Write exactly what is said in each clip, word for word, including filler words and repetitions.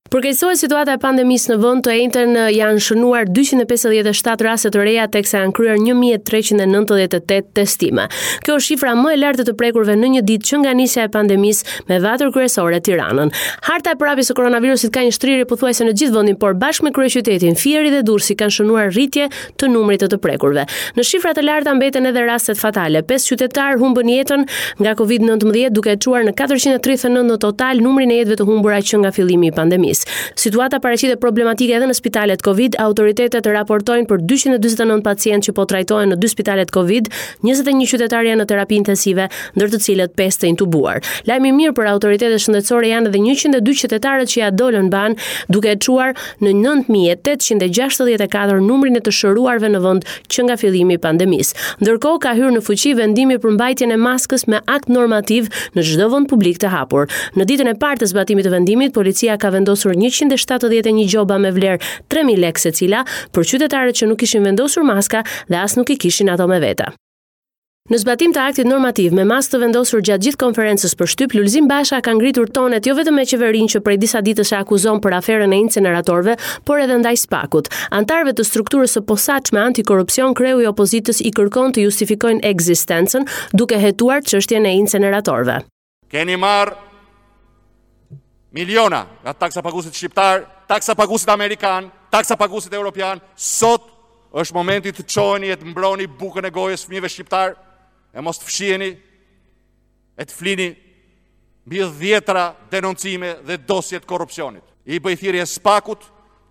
Përkeqësohet situata e pandemisë në vend. Të enjten janë shënuar dyqind e pesëdhjetë e shtatë raste të reja teksa janë kryer një mijë e treqind e nëntëdhjetë e tetë testime. Kjo është shifra më e lartë e të prekurve në një ditë që nga nisja e pandemisë, me vatër kryesore Tiranën. Harta e përhapjes së koronavirusit ka një shtrirje pothuajse në gjithë vendin, por bashkë me kryeqytetin, Fieri dhe Durrësi kanë shënuar rritje të numrit të të prekurve. Në shifra të larta mbeten edhe rastet fatale. Pesë qytetarë humbën jetën nga Covid nëntëmbëdhjetë, duke e çuar në katërqind e tridhjetë e nëntë në total numrin e jetëve të humbura që nga fillimi i pandemisë. Situata paraqitet problematike edhe në spitalet Covid. Autoritetet raportojnë për dyqind e dyzet e nëntë pacientë që po trajtohen në dy spitalet Covid, njëzet e një qytetarë janë në terapi intensive, ndër të cilët pesë të intubuar. Lajmi i mirë për autoritetet shëndetësore janë edhe njëqind e dy qytetarët që ja dolën ban, duke e çuar në nëntë mijë e tetëqind e gjashtëdhjetë e katër numrin e të shëruarve në vend që nga fillimi i pandemisë. Ndërkohë ka hyrë në fuqi vendimi për mbajtjen e maskës me akt normativ në çdo vend publik të hapur. Në ditën e parë të zbatimit të vendimit, policia ka vendosur njëqind e shtatëdhjetë e një gjoba me vlerë tre mijë lekë secila për qytetarët që nuk kishin vendosur maska dhe as nuk i kishin ato me vete. Në zbatim të aktit normativ me masë të vendosur gjatë gjithë konferencës për shtyp, Lulzim Basha ka ngritur tonet jo vetëm me qeverinë që prej disa ditësh e akuzon për aferën e inceneratorëve, por edhe ndaj Spakut. Antarëve të strukturës së posaçme antikorrupsion, kreu i opozitës i kërkon të justifikojnë ekzistencën duke hetuar çështjen e inceneratorëve. Keni marrë miliona nga taksapaguesit shqiptar, taksapaguesit amerikan, taksapaguesit europian. Sot është momenti të çoheni e të mbroni bukën e gojës fëmijëve shqiptar, e mos të fshiheni e të flini mbi dhjetra denoncime dhe dosje të korrupsionit. I bëj thirrje Spakut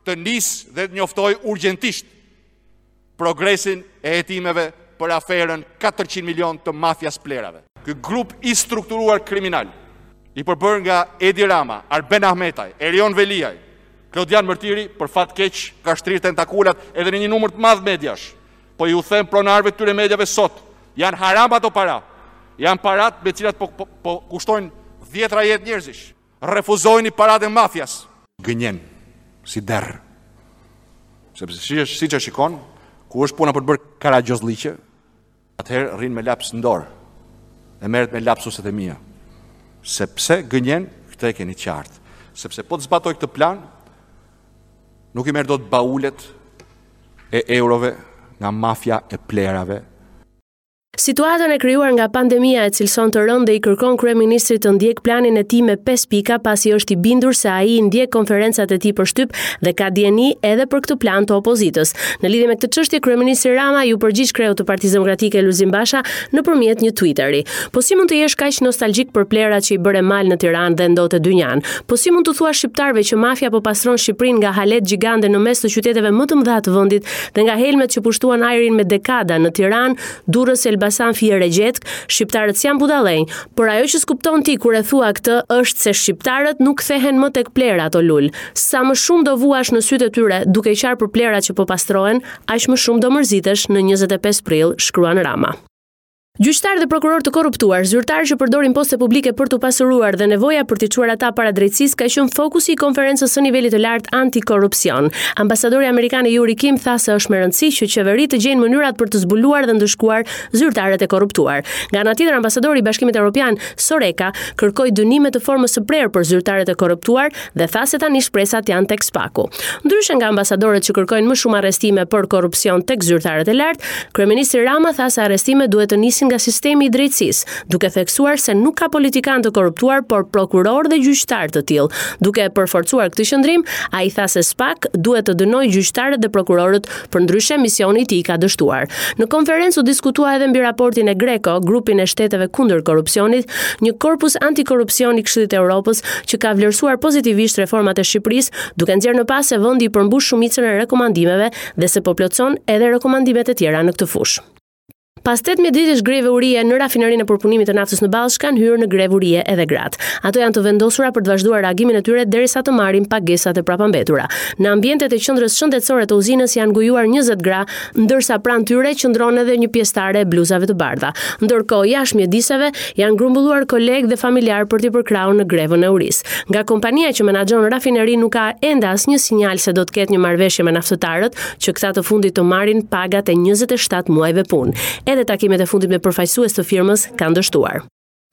të nisë dhe të njoftojë urgjentisht progresin e hetimeve për aferën katërqind milion të mafias plerave. Ky grup i strukturuar kriminal, i përbërë nga Edi Rama, Arben Ahmetaj, Erion Veliaj, Klodian Mërtiri, për fat keq ka shtrirë tentakulat edhe në një numër të madh mediash. Po ju them pronarëve të këtyre mediave sot, janë haram ato para. Janë parat me cilat po, po, po kushtojnë dhjetra jetë njerëzish. Refuzojini parat e mafias. Gënjen si derr. Sepse si, siç e shikon, ku është puna për të bërë karagjozlliqe, atëherë rrin me laps në dorë. E merret me lapsuset e mia. Sepse gënjen, këtë e keni qartë. Sepse po të zbatoj këtë plan, nuk i merr dot baulet e eurove nga mafia e plerave. Situatën e krijuar nga pandemia e cilëson të rëndë dhe i kërkon kryeministrit të ndjek planin e tij me pesë pika, pasi është i bindur se ai ndjek konferencat e tij për shtyp dhe ka dijeni edhe për këtë plan të opozitës. Në lidhje me këtë çështje, kryeministri Rama iu përgjigj kreut të Partisë Demokratike Lulzim Basha nëpërmjet një Twitteri. Po si mund të jesh kaq nostalgjik për plerat që i bëre mal në Tiranë dhe ndote dynjan? Po si mund të thuash shqiptarëve që mafia po pastron Shqipërinë nga halet gjigande në mes të qyteteve më të mëdha të vendit dhe nga helmet që pushtuan ajrin me dekada në Tiranë, Durrës, Elbasan, Fier e gjetkë, shqiptarët s'janë budallenj, por ajo që s'kupton ti kur e thua këtë është se shqiptarët nuk kthehen më tek plerat, o Lul. Sa më shumë do vuash në sytë e tyre duke qarë për plerat që po pastrohen, aq më shumë do mërzitesh në njëzet e pesë prill, shkruan Rama. Gjyqtarë dhe prokurorë të korruptuar, zyrtarë që përdorin poste publike për t'u pasuruar dhe nevoja për t'i çuar ata para drejtësisë ka qenë fokusi i konferencës së nivelit të lartë antikorrupsion. Ambasadori amerikan Yuri Kim tha se është me rëndësi që qeveritë të gjejnë mënyrat për të zbuluar dhe ndëshkuar zyrtarët e korruptuar. Nga ana tjetër, ambasadori i Bashkimit Evropian Soreka kërkoi dënime të formës së prerë për zyrtarët e korruptuar dhe tha se tani shpresat janë tek Spaku. Ndryshe nga ambasadorët që kërkojnë më shumë arrestime për korrupsion tek zyrtarët e lartë, kryeministri Rama tha se arrestimet duhet të nisin nga sistemi i drejtësisë, duke theksuar se nuk ka politikan të korruptuar, por prokuror dhe gjyqtar të tillë. Duke e përforcuar këtë qëndrim, ai tha se Spak duhet të dënojë gjyqtarët dhe prokurorët, përndryshe misioni i tij ka dështuar. Në konferencë u diskutua edhe mbi raportin e Greco, grupin e shteteve kundër korrupsionit, një korpus antikorrupsion i Këshillit të Evropës që ka vlerësuar pozitivisht reformat e Shqipërisë, duke nxjerrë në pas se vendi i përmbush shumicën e rekomandimeve dhe se po plotson edhe rekomandimet e tjera në këtë fushë. Pas tetëmbëdhjetë ditësh greve urie në rafinerinë e përpunimit të naftës në Ballsh kanë hyrë në grevë urie edhe gratë. Ato janë të vendosura për të vazhduar reagimin e tyre derisa të marrin pagesat e prapambetura. Në ambientet e qendrës shëndetësore të uzinës janë ngujuar njëzet gra, ndërsa pranë tyre qëndron edhe një pjesëtare e bluzave të bardha. Ndërkohë, jashtë mjediseve janë grumbulluar kolegë dhe familjarë për t'i përkrahur në grevën e urisë. Nga kompania që menaxhon rafinerinë nuk ka ende asnjë sinjal se do të ketë një marrëveshje me naftëtarët që këta të fundit të marrin pagat e njëzet e shtatë muajve punë. Edhe takimet e fundit me përfaqësues të firmës kanë dështuar.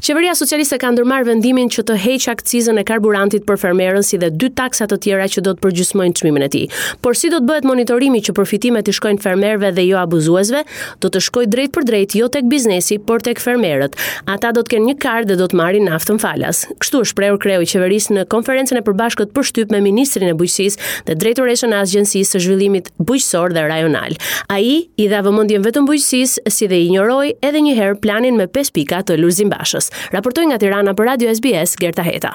Qeveria socialiste ka ndërmarrë vendimin që të heqë akcizën e karburantit për fermerën si dhe dy taksa të tjera që do të përgjysmojnë çmimin e tij. Por si do të bëhet monitorimi që përfitimet i shkojnë fermerëve dhe jo abuzuesve? Do të shkojë drejt për drejt jo tek biznesi, por tek fermerët. Ata do të kenë një kartë dhe do të marrin naftën falas. Kështu është shprehur kreu i qeverisë në konferencën e përbashkët për shtyp me ministrin e Bujqësisë dhe drejtoreshën e Agjencisë së Zhvillimit Bujqësor dhe Rajonal. Ai i dha vëmendjen vetëm bujqësisë, si dhe injoroi edhe një herë planin me pesë pika të Lulzim Bashës. Raportoi nga Tirana për Radio S B S, Gerta Heta.